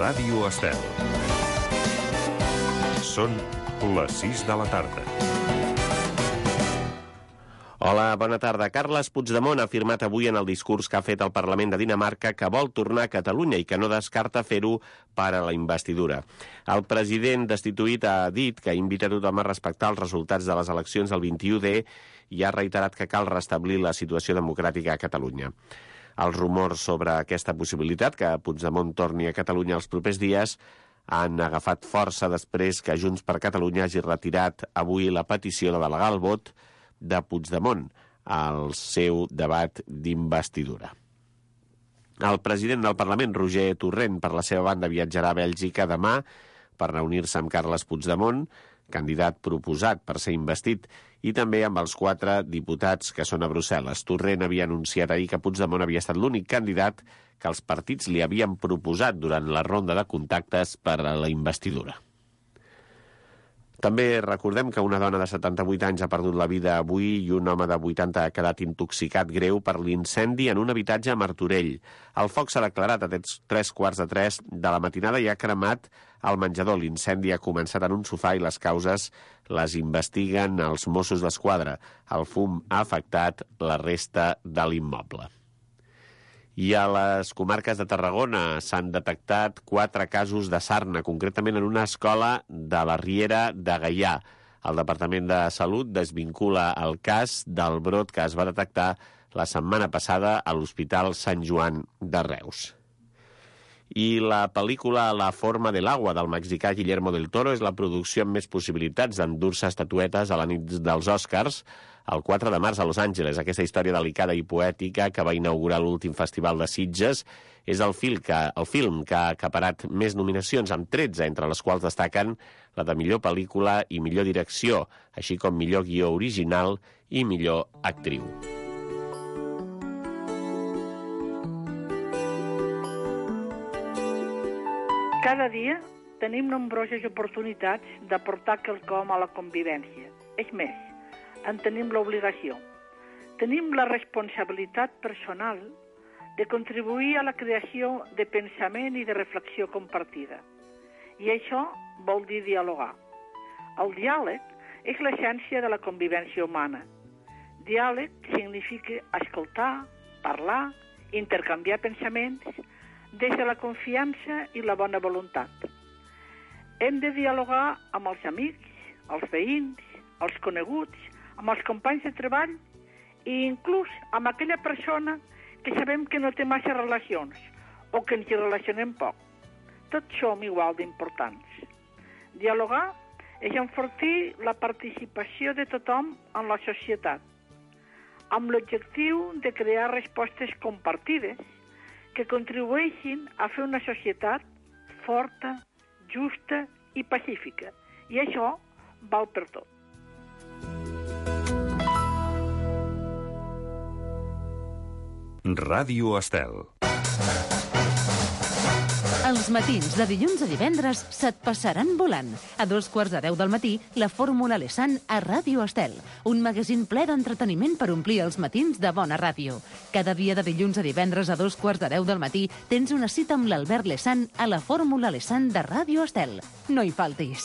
Ràdio Estel. Són les 6 de la tarda. Hola, bona tarda. Carles Puigdemont ha afirmat avui en el discurs que ha fet al Parlament de Dinamarca que vol tornar a Catalunya i que no descarta fer-ho per a la investidura. El president destituït ha dit que invita a tothom a respectar els resultats de les eleccions del 21D i ha reiterat que cal restablir la situació democràtica a Catalunya. Els rumors sobre aquesta possibilitat, que Puigdemont torni a Catalunya els propers dies, han agafat força després que Junts per Catalunya hagi retirat avui la petició de delegar el vot de Puigdemont al seu debat d'investidura. El president del Parlament, Roger Torrent, per la seva banda, viatjarà a Bèlgica demà per reunir-se amb Carles Puigdemont, candidat proposat per ser investit, i també amb els 4 diputats que són a Brussel·les. Torrent havia anunciat ahir que Puigdemont havia estat l'únic candidat que els partits li havien proposat durant la ronda de contactes per a la investidura. També recordem que una dona de 78 anys ha perdut la vida avui i un home de 80 ha quedat intoxicat greu per l'incendi en un habitatge a Martorell. El foc s'ha declarat a 3:15 de la matinada i ha cremat al menjador. L'incendi ha començat en un sofà i les causes les investiguen els Mossos d'Esquadra. El fum ha afectat la resta de l'immoble. I a les comarques de Tarragona s'han detectat 4 casos de sarna, concretament en una escola de la Riera de Gaià. El Departament de Salut desvincula el cas del brot que es va detectar la setmana passada a l'Hospital Sant Joan de Reus. I la pel·lícula La forma de l'agua del mexicà Guillermo del Toro és la producció amb més possibilitats d'endur-se estatuetes a la nit dels Oscars el 4 de març a Los Angeles. Aquesta història delicada i poètica que va inaugurar l'últim festival de Sitges és el film que ha acaparat més nominacions, amb 13, entre les quals destaquen la de millor pel·lícula i millor direcció, així com millor guió original i millor actriu. Cada dia tenim nombroses oportunitats d'aportar quelcom a la convivència. És més, en tenim l'obligació. Tenim la responsabilitat personal de contribuir a la creació de pensament i de reflexió compartida. I això vol dir dialogar. El diàleg és l'essència de la convivència humana. Diàleg significa escoltar, parlar, intercanviar pensaments des de la confiança i la bona voluntat. Hem de dialogar amb els amics, els veïns, els coneguts, amb els companys de treball i inclús amb aquella persona que sabem que no té massa relacions o que ens hi relacionem poc. Tots som igual d'importants. Dialogar és enfortir la participació de tothom en la societat, amb l'objectiu de crear respostes compartides que contribueixin a fer una societat forta, justa i pacífica. I això val per tot. Ràdio Estel. Els matins de dilluns a divendres se't passaran volant. A 9:15 del matí, la Fórmula Lesan a Ràdio Estel. Un magazín ple d'entreteniment per omplir els matins de bona ràdio. Cada dia de dilluns a divendres a 9:15 del matí tens una cita amb l'Albert Lesan a la Fórmula Lesan de Ràdio Estel. No hi faltis.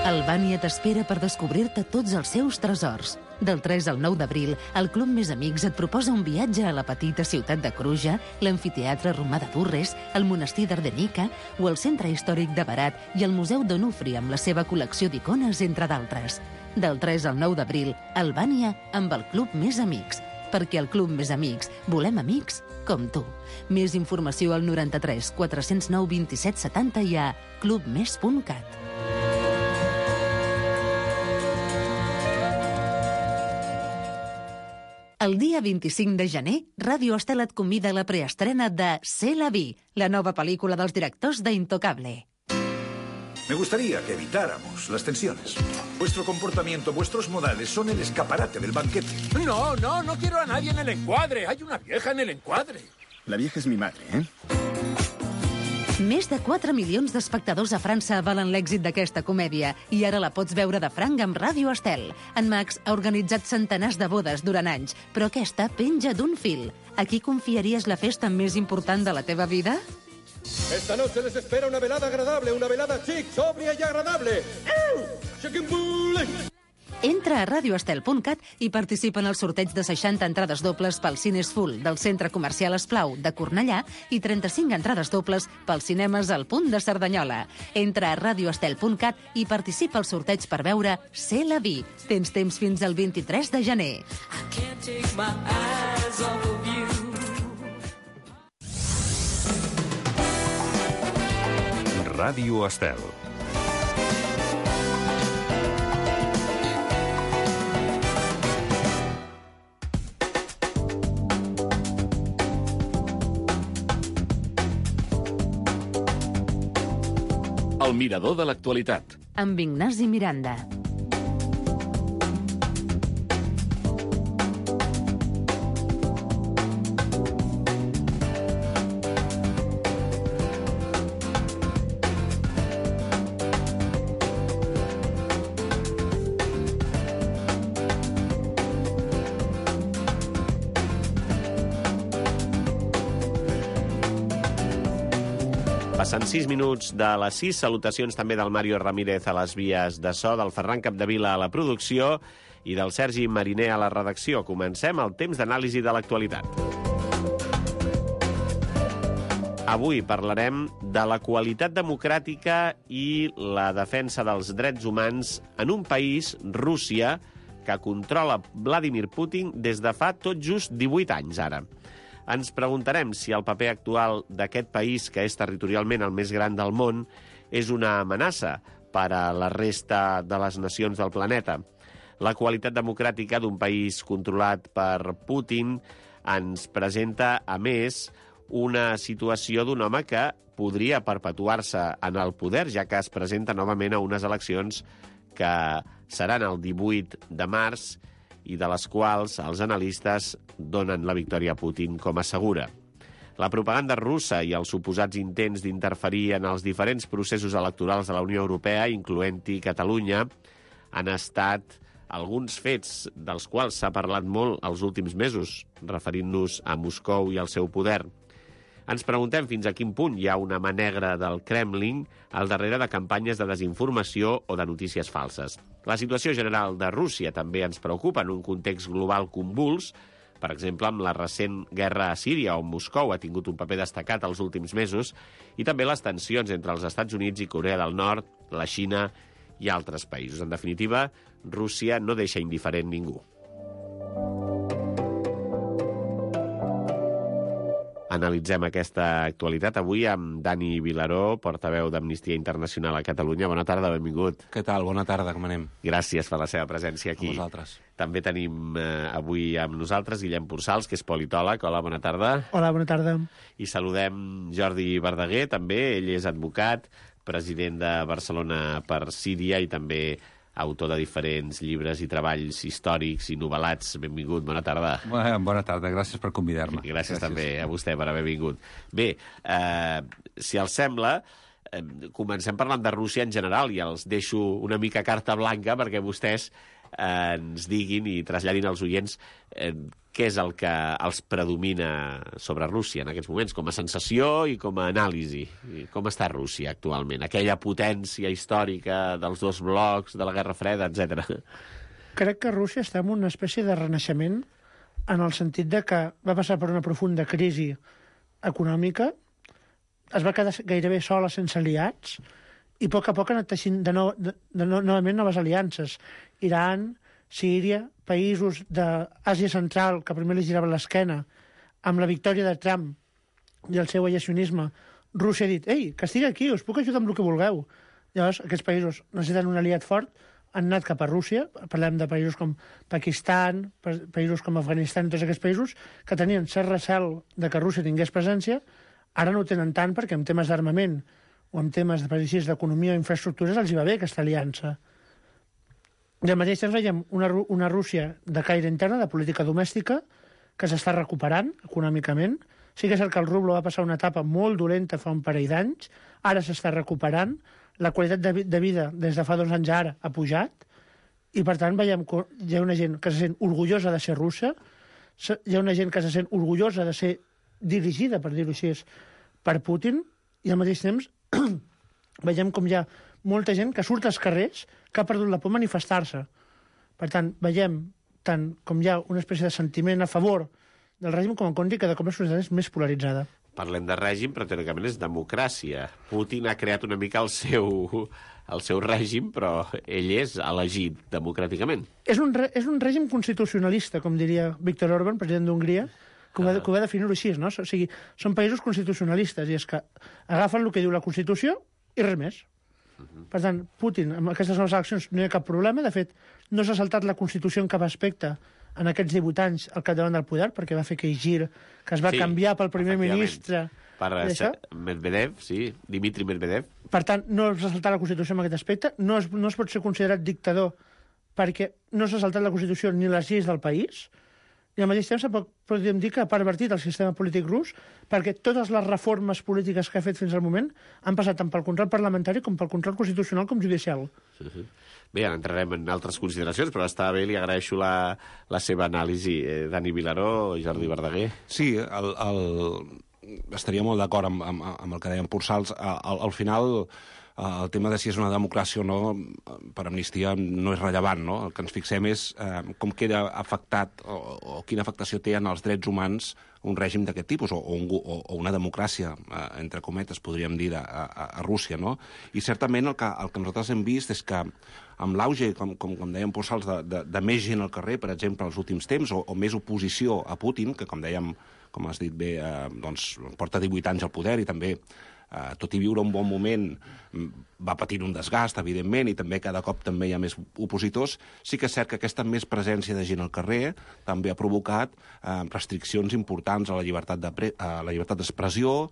Albània t'espera per descobrir-te tots els seus tresors. Del 3 al 9 d'abril, el Club Més Amics et proposa un viatge a la petita ciutat de Cruja, l'amfiteatre romà de Durres, el monestir d'Ardenica o el centre històric de Barat i el Museu d'Onufri amb la seva col·lecció d'icones, entre d'altres. Del 3 al 9 d'abril, Albània amb el Club Més Amics. Perquè al Club Més Amics volem amics com tu. Més informació al 93 409 27 70 i a clubmes.cat. El dia 25 de gener, Ràdio Estel et convida a la preestrena de C'est la vie, la nova pel·lícula dels directors d'Intocable. Me gustaría que evitáramos las tensiones. Vuestro comportamiento, vuestros modales son el escaparate del banquete. No quiero a nadie en el encuadre. Hay una vieja en el encuadre. La vieja es mi madre, ¿eh? Més de 4 milions d'espectadors a França avalen l'èxit d'aquesta comèdia i ara la pots veure de franc amb Ràdio Estel. En Max ha organitzat centenars de bodes durant anys, però aquesta penja d'un fil. A qui confiaries la festa més important de la teva vida? Esta noche les espera una velada agradable, una velada chic, sobria y agradable. Chicken Bull! Entra a radioestel.cat i participa en el sorteig de 60 entrades dobles pel Cines Full del Centre Comercial Esplau de Cornellà i 35 entrades dobles pels cinemes al Punt de Cerdanyola. Entra a radioestel.cat i participa al sorteig per veure C'est la vie. Tens temps fins al 23 de gener. Ràdio Estel. El mirador de l'actualitat. Amb Ignasi Miranda. Passen 6 minuts de les 6. Salutacions també del Mario Ramírez a les vies de so, del Ferran Capdevila a la producció i del Sergi Mariner a la redacció. Comencem el temps d'anàlisi de l'actualitat. Avui parlarem de la qualitat democràtica i la defensa dels drets humans en un país, Rússia, que controla Vladimir Putin des de fa tot just 18 anys ara. Ens preguntarem si el paper actual d'aquest país, que és territorialment el més gran del món, és una amenaça per a la resta de les nacions del planeta. La qualitat democràtica d'un país controlat per Putin ens presenta, a més, una situació d'un home que podria perpetuar-se en el poder, ja que es presenta novament a unes eleccions que seran el 18 de març i de les quals els analistes donen la victòria a Putin com a segura. La propaganda russa i els suposats intents d'interferir en els diferents processos electorals de la Unió Europea, incloent-hi Catalunya, han estat alguns fets dels quals s'ha parlat molt els últims mesos, referint-nos a Moscou i al seu poder. Ens preguntem fins a quin punt hi ha una mà negra del Kremlin al darrere de campanyes de desinformació o de notícies falses. La situació general de Rússia també ens preocupa en un context global convuls, per exemple, amb la recent guerra a Síria, on Moscou ha tingut un paper destacat els últims mesos, i també les tensions entre els Estats Units i Corea del Nord, la Xina i altres països. En definitiva, Rússia no deixa indiferent ningú. Analitzem aquesta actualitat avui amb Dani Vilaró, portaveu d'Amnistia Internacional a Catalunya. Bona tarda, benvingut. Què tal? Bona tarda, com anem? Gràcies per la seva presència aquí. A vosaltres. També tenim avui amb nosaltres Guillem Pursals, que és politòleg. Hola, bona tarda. Hola, bona tarda. I saludem Jordi Verdaguer, també. Ell és advocat, president de Barcelona per Síria i també autor de diferents llibres i treballs històrics i novel·lats. Benvingut, bona tarda. Bona tarda, gràcies per convidar-me. Gràcies també a vostè per haver vingut. Bé, si els sembla, comencem parlant de Rússia en general i els deixo una mica carta blanca perquè vostès ens diguin i traslladin als oients què és el que els predomina sobre Rússia en aquests moments, com a sensació i com a anàlisi. Com està Rússia actualment? Aquella potència històrica dels dos blocs, de la Guerra Freda, etc. Crec que Rússia està en una espècie de renaixement en el sentit de que va passar per una profunda crisi econòmica, es va quedar gairebé sola sense aliats i a poc ha anat teixint novament noves aliances. Iran, Síria, països d'Àsia Central, que primer li giraven l'esquena, amb la victòria de Trump i el seu aïllacionisme, Rússia ha dit, ei, que estigui aquí, us puc ajudar amb el que vulgueu. Llavors, aquests països necessiten un aliat fort, han anat cap a Rússia, parlem de països com Pakistan, països com Afganistan, tots aquests països que tenien cert recel de que Rússia tingués presència, ara no ho tenen tant perquè en temes d'armament o en temes d'economia o infraestructures els hi va bé aquesta aliança. I al mateix temps veiem una Rússia de caire interna, de política domèstica, que s'està recuperant econòmicament, Sí que és cert que el rublo va passar una etapa molt dolenta fa un parell d'anys, ara s'està recuperant, la qualitat de vida des de fa 2 anys ara ha pujat, i per tant veiem que hi ha una gent que se sent orgullosa de ser russa, hi ha una gent que se sent orgullosa de ser dirigida, per dir-ho així, per Putin, i al mateix temps veiem com hi ha molta gent que surt als carrers que ha perdut la por a manifestar-se. Per tant, veiem tant com hi ha una espècie de sentiment a favor del règim com en contra i cada cop la societat és més polaritzada. Parlem de règim, però teòricament és democràcia. Putin ha creat una mica el seu règim, però ell és elegit democràticament. És un règim constitucionalista, com diria Viktor Orbán, president d'Hongria, que ho va definir-ho així, no? O sigui, són països constitucionalistes, i és que agafen el que diu la Constitució i res més. Per tant, Putin, amb aquestes noves eleccions no hi ha cap problema. De fet, no s'ha saltat la Constitució en cap aspecte en aquests 18 anys al capdavant del poder, perquè va fer aquell gir que es va canviar pel primer ministre. Per Medvedev, sí, Dmitry Medvedev. Per tant, no s'ha saltat la Constitució en aquest aspecte, no es pot ser considerat dictador perquè no s'ha saltat la Constitució ni les lleis del país, i al mateix temps podríem dir que ha pervertit el sistema polític rus, perquè totes les reformes polítiques que ha fet fins al moment han passat tant pel control parlamentari com pel control constitucional com judicial. Bé, ara entrarem en altres consideracions, però està bé, li agraeixo la seva anàlisi. Dani Vilaró, Jordi Verdaguer. Sí, estaria molt d'acord amb el que deien Pursals. Al final, el tema de si és una democràcia o no, per Amnistia, no és rellevant, no? El que ens fixem és com queda afectat o quina afectació té en els drets humans un règim d'aquest tipus, o una democràcia, entre cometes, podríem dir, a Rússia, no? I certament el que nosaltres hem vist és que amb l'auge, com deien Pursals, de més gent al carrer, per exemple, als últims temps, o més oposició a Putin, que, com dèiem, com has dit bé, doncs porta 18 anys al poder i també tot i viure un bon moment, va patint un desgast, evidentment, i també cada cop també hi ha més opositors. Sí que és cert que aquesta més presència de gent al carrer també ha provocat restriccions importants a la llibertat d'expressió.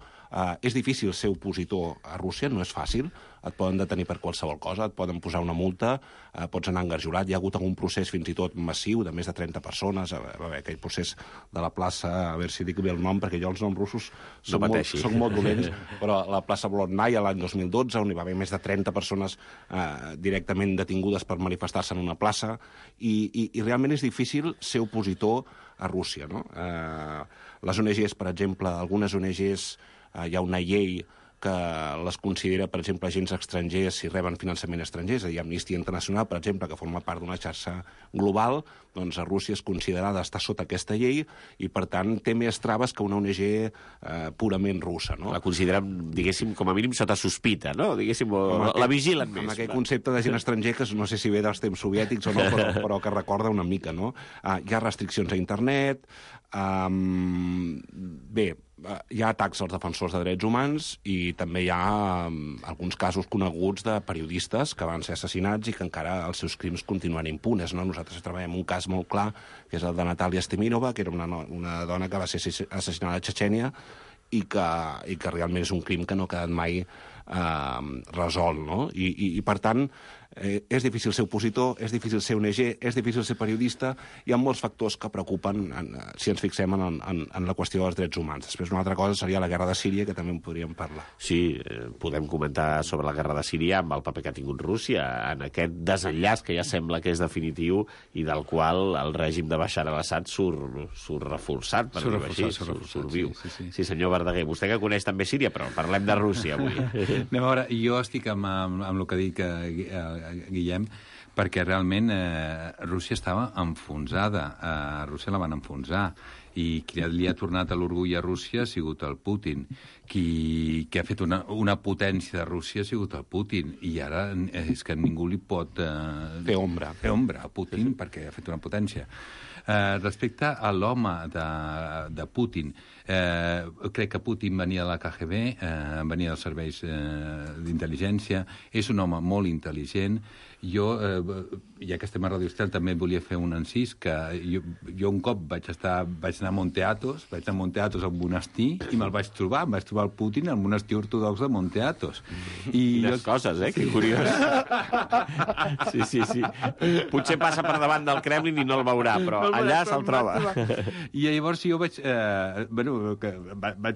És difícil ser opositor a Rússia, no és fàcil. Et poden detenir per qualsevol cosa, et poden posar una multa, pots anar engarjolat. Hi ha hagut algun procés fins i tot massiu de més de 30 persones, aquell procés de la plaça, a veure si dic bé el nom, perquè jo els noms russos són molt dolents, però la plaça Bolotnaya l'any 2012, on hi va haver més de 30 persones directament detingudes per manifestar-se en una plaça, i realment és difícil ser opositor a Rússia, no? Les ONGs, per exemple, algunes ONGs, hi ha una llei que les considera, per exemple, agents estrangers si reben finançament estranger, és a dir, Amnistia Internacional, per exemple, que forma part d'una xarxa global, doncs a Rússia és considerada estar sota aquesta llei i, per tant, té més traves que una ONG purament russa, no? La consideren, diguéssim, com a mínim sota sospita, no? Diguéssim, la vigilen més. Amb aquell concepte de gent estranger que no sé si ve dels temps soviètics o no, però que recorda una mica, no? Hi ha restriccions a internet, bé, hi ha atacs als defensors de drets humans i també hi ha alguns casos coneguts de periodistes que van ser assassinats i que encara els seus crims continuen impunes, no? Nosaltres treballem un cas molt clar, que és el de Natalia Steminova, que era una dona que va ser assassinada a Txetxènia i que realment és un crim que no ha quedat mai resolt, no? I per tant, és difícil ser opositor, és difícil ser ONG, és difícil ser periodista, hi ha molts factors que preocupen si ens fixem en la qüestió dels drets humans. Després una altra cosa seria la guerra de Síria, que també en podríem parlar. Sí, podem comentar sobre la guerra de Síria amb el paper que ha tingut Rússia en aquest desenllaç que ja sembla que és definitiu i del qual el règim de Bashar al-Assad surt reforçat, per dir-ho així, surt viu. Sí, senyor Verdaguer, vostè que coneix també Síria, però parlem de Rússia avui. Anem a veure, jo estic amb el que ha dit Guillem, perquè realment Rússia estava enfonsada. Rússia la van enfonsar. I qui li ha tornat a l'orgull a Rússia ha sigut el Putin. Qui ha fet una potència de Rússia ha sigut el Putin. I ara és que ningú li pot fer ombra a Putin perquè ha fet una potència. Respecte a l'home de Putin, crec que Putin venia de la KGB, venia dels serveis d'intel·ligència, és un home molt intel·ligent Jo, ja que estem a Radio Estel, també volia fer un encís, que jo un cop vaig anar a Monte Athos, al monestir, i me'l vaig trobar el Putin al monestir ortodox de Monte Athos. Quines coses, que curiós. Sí. Potser passa per davant del Kremlin i no el veurà, però allà se'l troba. I llavors jo vaig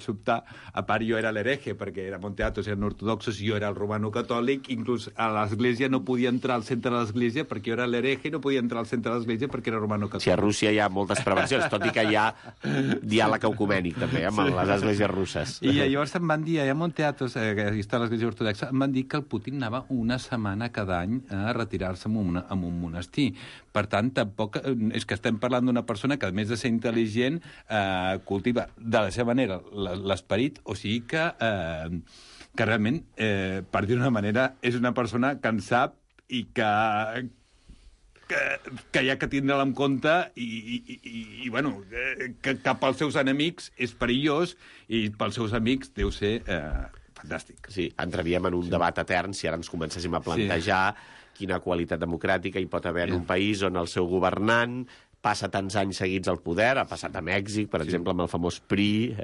sobtar, a part jo era l'hereje, perquè era Monte Athos, eren ortodoxos, jo era el romano catòlic, inclús a l'església no podia entrar al centre de l'església perquè jo era l'hereje i no podia entrar al centre de l'església perquè era romano catòlic. Sí, a Rússia hi ha moltes prevencions, tot i que hi ha diàleg ecumènic també, amb les esglésies russes. I llavors em van dir, a Monte Athos, que està a l'església ortodoxa, em van dir que el Putin anava una setmana cada any a retirar-se en un monestir. Per tant, tampoc és que estem parlant d'una persona que, a més de ser intel·ligent, cultiva de la seva manera l'esperit, o sigui que realment, per dir d'una manera, és una persona que en sap i que hi ha que tindre-la en compte i bueno, que pels seus enemics és perillós i pels seus amics deu ser fantàstic. Sí, entraríem en un debat etern si ara ens comencéssim a plantejar quina qualitat democràtica hi pot haver en un país on el seu governant passa tants anys seguits al poder, ha passat a Mèxic, per exemple, amb el famós PRI,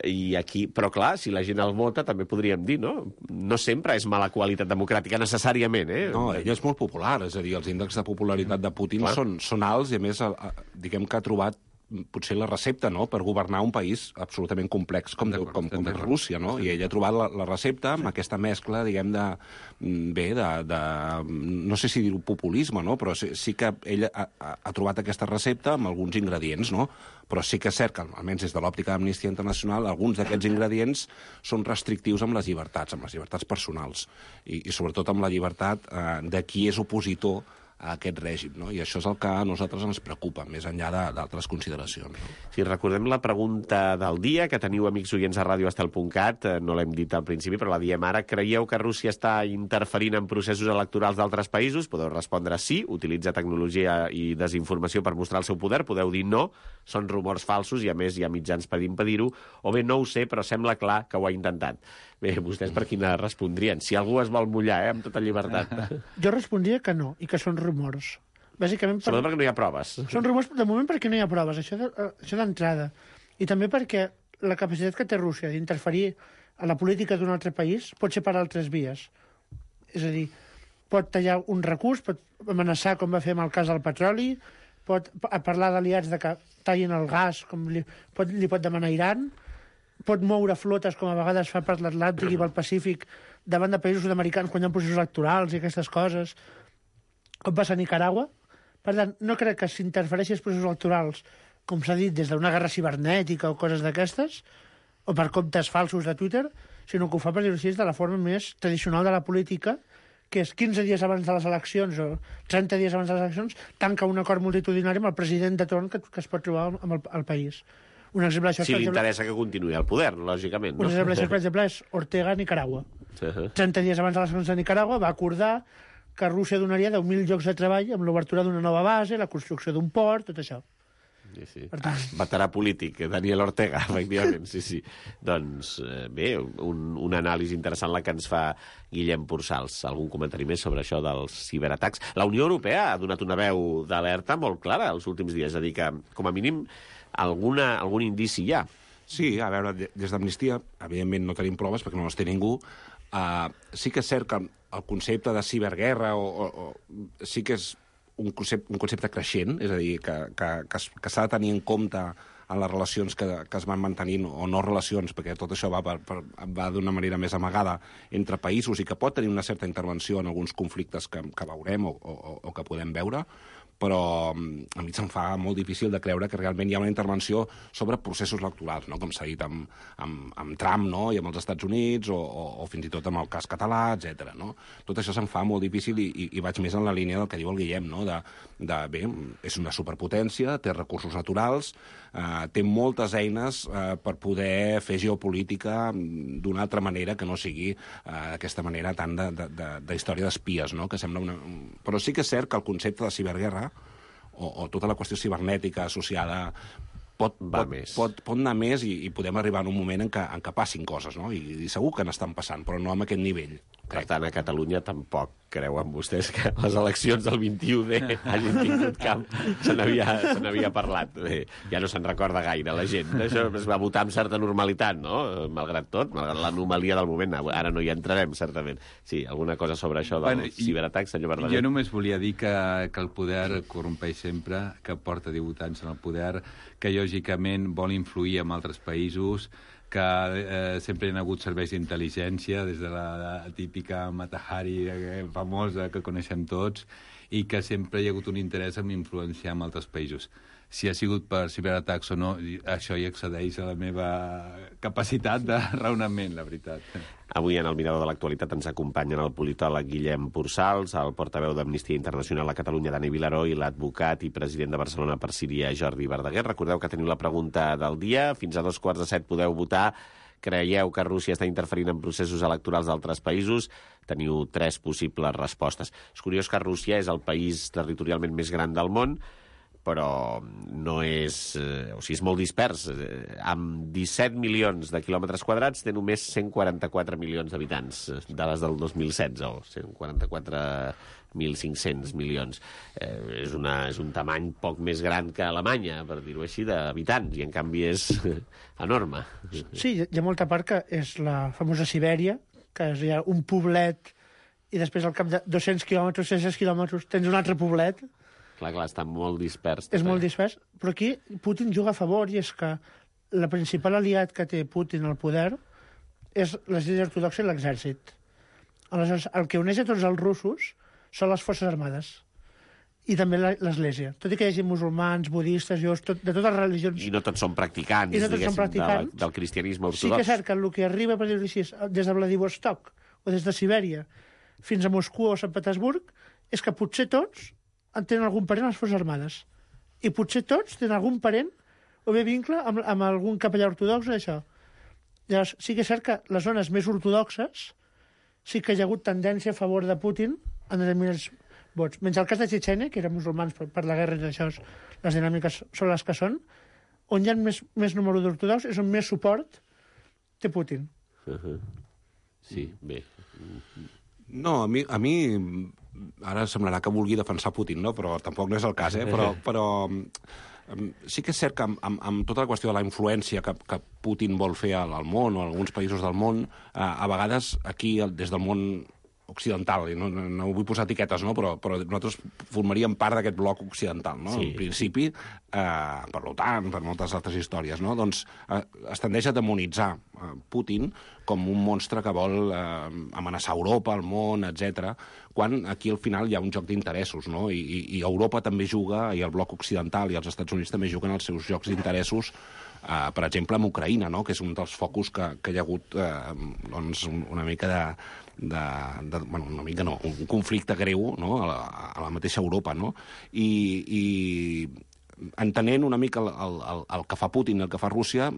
i aquí... Però, clar, si la gent el vota, també podríem dir, no? No sempre és mala qualitat democràtica, necessàriament, No, ell és molt popular, és a dir, els índexs de popularitat de Putin són alts i, a més, diguem que ha trobat potser la recepta, no?, per governar un país absolutament complex com és Rússia, no? I ell ha trobat la recepta amb aquesta mescla, diguem, no sé si dir-ho populisme, no?, però sí que ell ha trobat aquesta recepta amb alguns ingredients, no?, però sí que és cert que, almenys des de l'òptica d'Amnistia Internacional, alguns d'aquests ingredients són restrictius amb les llibertats personals, i sobretot amb la llibertat de qui és opositor a aquest règim, no? I això és el que a nosaltres ens preocupa, més enllà d'altres consideracions. No? Si recordem la pregunta del dia, que teniu amics oients a radioestel.cat, no l'hem dit al principi, però la diem ara. Creieu que Rússia està interferint en processos electorals d'altres països? Podeu respondre sí, utilitza tecnologia i desinformació per mostrar el seu poder. Podeu dir no, són rumors falsos i a més hi ha mitjans per impedir-ho. O bé no ho sé, però sembla clar que ho ha intentat. Bé, vostès per quina respondrien? Si algú es vol mullar, amb tota llibertat. Jo respondria que no, i que són rumors. Bàsicament sobretot perquè no hi ha proves. Són rumors, de moment, perquè no hi ha proves, això d'entrada. I també perquè la capacitat que té Rússia d'interferir a la política d'un altre país pot ser per altres vies. És a dir, pot tallar un recurs, pot amenaçar, com va fer amb el cas del petroli, pot parlar d'aliats de que tallin el gas, com li pot demanar Iran, pot moure flotes, com a vegades fa per l'Atlàntic i pel Pacífic, davant de països sud-americans quan hi ha processos electorals i aquestes coses, com passa a Nicaragua. Per tant, no crec que s'interfereixi als processos electorals, com s'ha dit, des d'una guerra cibernètica o coses d'aquestes, o per comptes falsos de Twitter, sinó que ho fa, per dir-ho així, de la forma més tradicional de la política, que és 15 dies abans de les eleccions o 30 dies abans de les eleccions, tanca un acord multitudinari amb el president de torn que es pot trobar amb el país. Un exemple d'això, si li interessa que continuï al poder, lògicament. Un exemple d'això, per exemple, és Ortega a Nicaragua. 30 dies abans de les eleccions de Nicaragua va acordar que Rússia donaria 10.000 llocs de treball amb l'obertura d'una nova base, la construcció d'un port, tot això. Sí. Veterà polític, Daniel Ortega, efectivament, sí. Doncs bé, un anàlisi interessant la que ens fa Guillem Pursals. Algun comentari més sobre això dels ciberatacs? La Unió Europea ha donat una veu d'alerta molt clara els últims dies, és a dir que, com a mínim, algun indici hi ha. Sí, a veure, des d'Amnistia, evidentment no tenim proves perquè no les té ningú. Sí que és cert que el concepte de ciberguerra sí que és un concepte creixent, és a dir, que s'ha de tenir en compte en les relacions que es van mantenint, o no relacions, perquè tot això va d'una manera més amagada entre països i que pot tenir una certa intervenció en alguns conflictes que veurem o que podem veure, però a mi se'm fa molt difícil de creure que realment hi ha una intervenció sobre processos electorals, no? Com s'ha dit amb Trump, no? I amb els Estats Units, o fins i tot amb el cas català, etc. No? Tot això se'm fa molt difícil i vaig més en la línia del que diu el Guillem, no? Bé, és una superpotència, té recursos naturals, té moltes eines per poder fer geopolítica d'una altra manera que no sigui d'aquesta manera tant de història d'espies, no? Que sembla Però sí que és cert que el concepte de ciberguerra o tota la qüestió cibernètica associada pot anar més i podem arribar en un moment en què passin coses, no? I segur que n'estan passant, però no amb aquest nivell. Per tant, a Catalunya tampoc creuen vostès que les eleccions del 21D hagin tingut camp. Se n'havia parlat. Bé, ja no se'n recorda gaire la gent. Això es va votar amb certa normalitat, no? Malgrat tot, malgrat l'anomalia del moment. Ara no hi entrarem, certament. Sí, alguna cosa sobre això del ciberatac, senyor Verdaguer? Jo només volia dir que el poder corrompeix sempre, que porta 18 anys en el poder, que lògicament vol influir en altres països, que sempre hi ha hagut serveis d'intel·ligència, des de la típica Mata Hari famosa que coneixem tots, i que sempre hi ha hagut un interès en influenciar en altres països. Si ha sigut per ciberatacs o no, això hi excedeix a la meva capacitat de raonament, la veritat. Avui en el Mirador de l'Actualitat ens acompanyen el politòleg Guillem Pursals, el portaveu d'Amnistia Internacional a Catalunya, Dani Vilaró, i l'advocat i president de Barcelona per Síria, Jordi Verdaguer. Recordeu que teniu la pregunta del dia. Fins a 7:15 podeu votar. Creieu que Rússia està interferint en processos electorals d'altres països? Teniu 3 possibles respostes. És curiós que Rússia és el país territorialment més gran del món, però no és... o sigui, és molt dispers. Amb 17 milions de quilòmetres quadrats té només 144 milions d'habitants, dades del 2016, o 144.500 milions. És un tamany poc més gran que Alemanya, per dir-ho així, d'habitants, i en canvi és enorme. Sí, hi ha molta part que és la famosa Sibèria, que és ja un poblet, i després al cap de 200 quilòmetres, 600 quilòmetres, tens un altre poblet. Clar, està molt dispers. És molt dispers, però aquí Putin juga a favor, i és que la principal aliat que té Putin al poder és l'Església Ortodoxa i l'exèrcit. Aleshores, el que uneix a tots els russos són les forces armades i també l'Església. Tot i que hi hagi musulmans, budistes, jueus, de totes les religions... I no tots són practicants, del cristianisme ortodox. Sí que és cert que el que arriba, per dir-ho així, des de Vladivostok o des de Sibèria fins a Moscou o Sant Petersburg, és que potser tots tenen algun parent a les forces armades. I potser tots tenen algun parent o bé vincle amb algun capellà ortodox o això. Llavors, sí que és cert que les zones més ortodoxes sí que hi ha hagut tendència a favor de Putin en determinats vots. Menys el cas de Txetxènia, que eren musulmans per la guerra i això, les dinàmiques són les que són, on hi ha més número d'ortodoxs és on més suport té Putin. Sí, bé. No, a mi ara semblarà que vulgui defensar Putin, no? Però tampoc no és el cas, però sí que és cert que amb tota la qüestió de la influència que Putin vol fer al món o a alguns països del món, a vegades aquí, des del món occidental, i no vull posar etiquetes, no? Però nosaltres formaríem part d'aquest bloc occidental, no? Sí. En principi, per l'OTAN, per moltes altres històries, no? Doncs es tendeix a demonitzar Putin com un monstre que vol amenaçar Europa, el món, etc. Quan aquí al final hi ha un joc d'interessos, no? I Europa també juga, i el bloc occidental i els Estats Units també juguen els seus jocs d'interessos, per exemple, amb Ucraïna, no? Que és un dels focus que hi ha hagut doncs, una mica bueno, una mica no, un conflicte greu, no? a la mateixa Europa, no? I entenent una mica el que fa Putin i el que fa Rússia,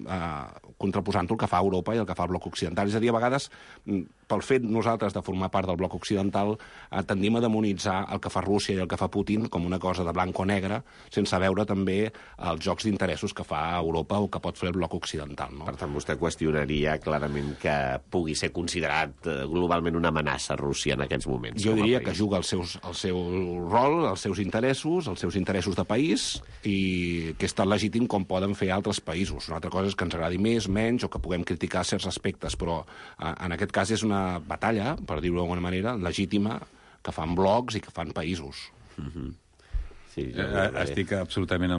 contraposant-ho el que fa Europa i el que fa el bloc occidental. És a dir, a vegades, pel fet nosaltres de formar part del bloc occidental, tendim a demonitzar el que fa Rússia i el que fa Putin com una cosa de blanc o negre, sense veure també els jocs d'interessos que fa Europa o que pot fer el bloc occidental. No? Per tant, vostè qüestionaria clarament que pugui ser considerat globalment una amenaça Rússia en aquests moments. Jo diria que juga el seu rol, els seus interessos de país, i que és tan legítim com poden fer altres països. Una altra cosa és que ens agradi més, menys, o que puguem criticar certs aspectes, però en aquest cas és una batalla, per dir-ho d'alguna manera, legítima, que fan blocs i que fan països. Sí, estic absolutament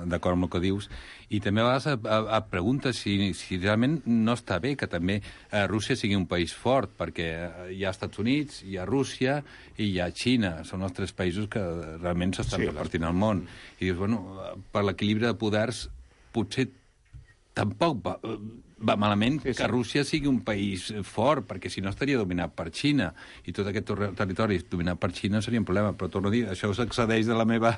d'acord amb el que dius. I també a vegades et preguntes si realment no està bé que també Rússia sigui un país fort, perquè hi ha Estats Units, hi ha Rússia i hi ha Xina. Són els 3 països que realment s'estan repartint al món. I dius, bueno, per l'equilibri de poders potser tampoc va malament que Rússia sigui un país fort, perquè si no estaria dominat per Xina, i tot aquest territori dominat per Xina seria un problema. Però torno a dir, això s'excedeix de la meva...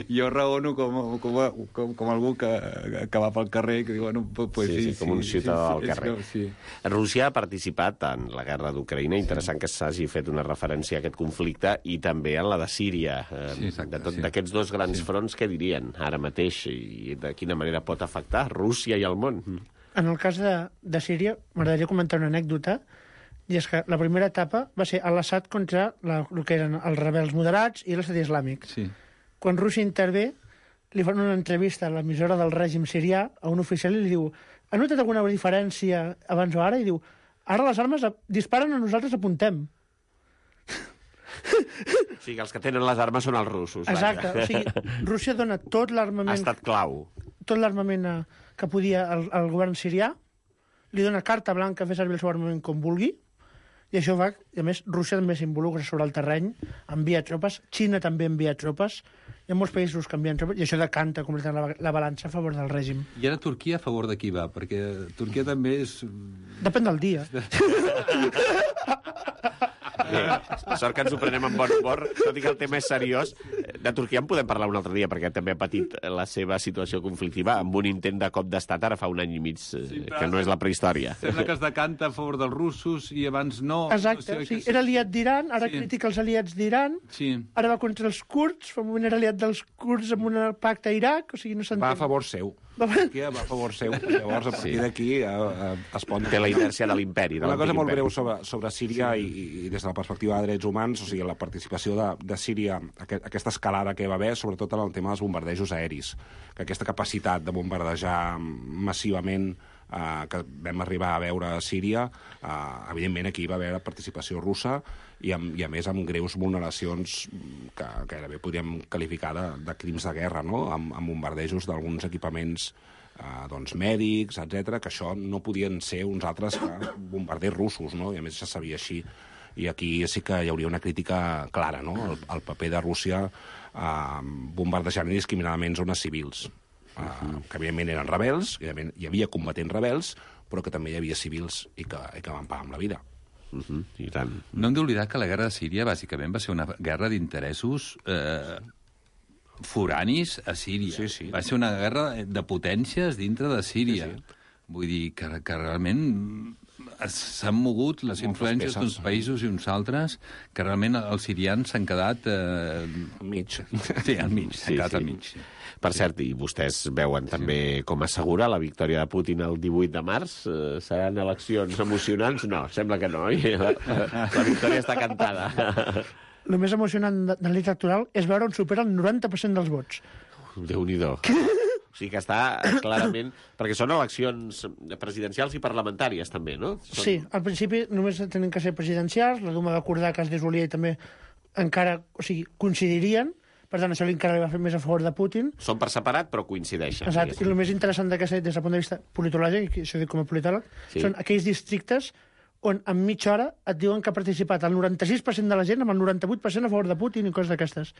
Jo raono com algú que va pel carrer i que diu, bueno, pues sí, com un ciutadà del carrer. Sí. Rússia ha participat en la guerra d'Ucraïna, interessant que s'hagi fet una referència a aquest conflicte, i també en la de Síria. D'aquests 2 grans fronts, què dirien ara mateix, i de quina manera pot afectar Rússia i el món? En el cas de Síria, m'agradaria comentar una anècdota. I és que la primera etapa va ser l'Assad contra el que eren els rebels moderats i l'Estat Islàmic. Sí. Quan Rússia intervé, li fan una entrevista a l'emissora del règim sirià, a un oficial, i li diu: ha notat alguna diferència abans o ara? I diu: ara les armes disparen a nosaltres, apuntem. O sigui, els que tenen les armes són els russos. Exacte. O sigui, Rússia dona tot l'armament... Ha estat clau. Tot l'armament que podia al govern sirià, li dona carta blanca a fer servir el seu armament com vulgui, i això va... I a més, Rússia també s'involucra sobre el terreny, envia tropes, Xina també envia tropes, hi ha molts països que envien tropes, i això decanta completament la balança a favor del règim. I ara Turquia a favor de qui va? Perquè Turquia també és... Depèn del dia. Bé, sort que ens ho prenem amb bon humor, tot i que el tema és seriós. De Turquia en podem parlar un altre dia, perquè també ha patit la seva situació conflictiva amb un intent de cop d'estat ara fa un any i mig, que no és la prehistòria. Sembla que es decanta a favor dels russos i abans no. Exacte, o sigui, era aliat d'Iran, ara critica els aliats d'Iran, ara va contra els kurds, fa un moment era aliat dels kurds amb un pacte a Iraq, o sigui, no s'entén. Va a favor seu. Turquia va a favor seu. Llavors, a partir d'aquí es pot... Té la inèrcia de l'imperi. Una cosa molt breu sobre Síria i des de la perspectiva de drets humans, o sigui, la participació de Síria, aquesta escalada que va haver, sobretot en el tema dels bombardejos aeris, que aquesta capacitat de bombardejar massivament que vam arribar a veure a Síria, evidentment aquí va haver participació russa i a més amb greus vulneracions que gairebé podríem qualificar de crims de guerra, no? Amb bombardejos d'alguns equipaments mèdics, etc, que això no podien ser uns altres que bombarders russos, no? I a més se sabia així. I aquí sí que hi hauria una crítica clara, no? El paper de Rússia bombardejant indiscriminadament zones civils, que evidentment eren rebels, hi havia combatents rebels, però que també hi havia civils i que van pagar amb la vida. I tant. No hem d'oblidar que la guerra de Síria bàsicament va ser una guerra d'interessos foranis a Síria. Sí, sí. Va ser una guerra de potències dintre de Síria. Sí, sí. Vull dir que realment s'han mogut les influències d'uns països i uns altres, que realment els sirians s'han quedat... Al mig. Sí, al mig, s'han quedat al mig. Sí. Per cert, i vostès veuen també com assegura la victòria de Putin el 18 de març? Seran eleccions emocionants? No, sembla que no. La victòria està cantada. El més emocionant de la nit electoral és veure on supera el 90% dels vots. Déu-n'hi-do. O sigui que està clarament... Perquè són eleccions presidencials i parlamentàries, també, no? Sí, al principi només tenen que ser presidencials, la Duma va acordar que es desolia i també encara, o sigui, coincidirien. Per tant, això encara li va fer més a favor de Putin. Són per separat, però coincideixen. Exacte. I el més interessant d'aquesta, des del punt de vista politològic, i això dic com a politòleg, són aquells districtes on en mitja hora et diuen que ha participat el 96% de la gent amb el 98% a favor de Putin i coses d'aquestes.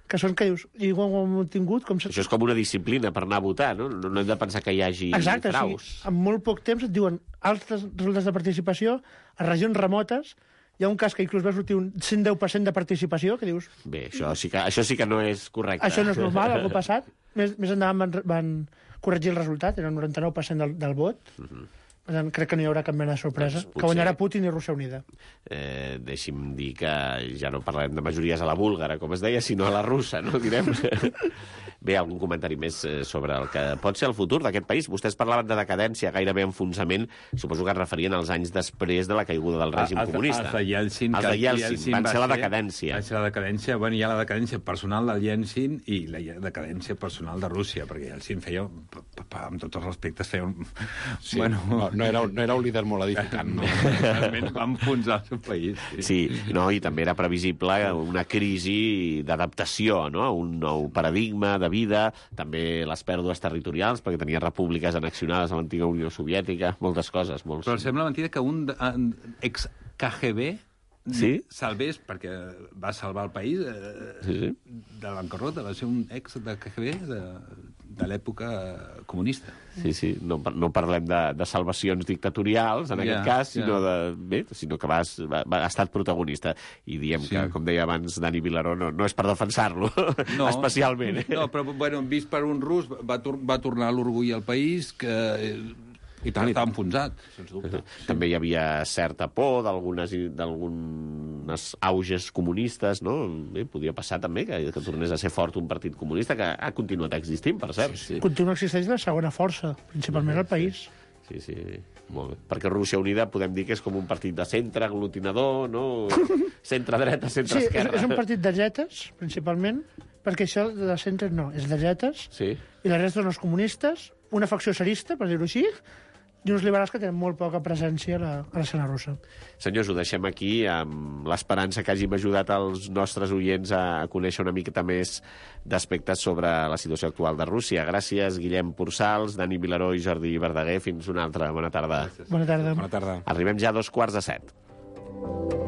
Que són que dius, i ho hem tingut... Això és com una disciplina per anar a votar, no? No hem de pensar que hi hagi fraus. Exacte, sí. En molt poc temps et diuen altres resultats de participació a regions remotes. Hi ha un cas que inclús va sortir un 110% de participació, que dius... Bé, això sí que no és correcte. Això no és normal, algú passat. Més endavant van corregir el resultat, era el 99% del vot. Per tant, crec que no hi haurà cap mena de sorpresa. Doncs que guanyarà Putin i Rússia Unida. Deixi'm dir que ja no parlarem de majories a la búlgara, com es deia, sinó a la russa, no? Direm. Bé, algun comentari més sobre el que pot ser el futur d'aquest país? Vostès parlaven de decadència, gairebé enfonsament. Suposo que es referien als anys després de la caiguda del règim comunista. Els de Yeltsin. Els de Yeltsin van ser la decadència. Va ser la decadència. Bueno, hi ha la decadència personal del Yeltsin i la decadència personal de Rússia, perquè Yeltsin feia, amb tots els respectes, feia un... Sí, bueno, no era un líder molt edificant. No. Realment va enfonsar el seu país. Sí, no, i també era previsible una crisi d'adaptació, no? Un nou paradigma de vida, també les pèrdues territorials, perquè tenia repúbliques annexionades a l'antiga Unió Soviètica, moltes coses. Però sembla mentida que un ex-KGB salvés, perquè va salvar el país de la bancarrota, va ser un ex de KGB de l'època comunista. Sí, no parlem de salvacions dictatorials, en aquest cas, sinó que ha estat protagonista. I diem que, com deia abans Dani Vilaró, no és per defensar-lo, especialment. No, però, bueno, vist per un rus, va tornar l'orgull al país, que... I tant, està enfonsat, sens dubte. També hi havia certa por d'algunes auges comunistes, no? Bé, podia passar també que tornés a ser fort un partit comunista, que ha continuat existint, per cert. Continua existint la segona força, principalment al país. Sí. Molt bé. Perquè Rússia Unida podem dir que és com un partit de centre, aglutinador, no? Centre-dreta, centre-esquerra. Sí, és un partit de dretes, principalment, perquè això de centre no, és de dretes, Sí. i la resta són els comunistes, una facció tsarista, per dir-ho així, i uns liberals que tenen molt poca presència a l'escena russa. Senyors, ho deixem aquí amb l'esperança que hàgim ajudat els nostres oients a conèixer una miqueta més d'aspectes sobre la situació actual de Rússia. Gràcies, Guillem Pursals, Dani Vilaró i Jordi Verdaguer. Fins una altra. Bona tarda. Bona tarda. Bona tarda. Arribem ja a 2:45.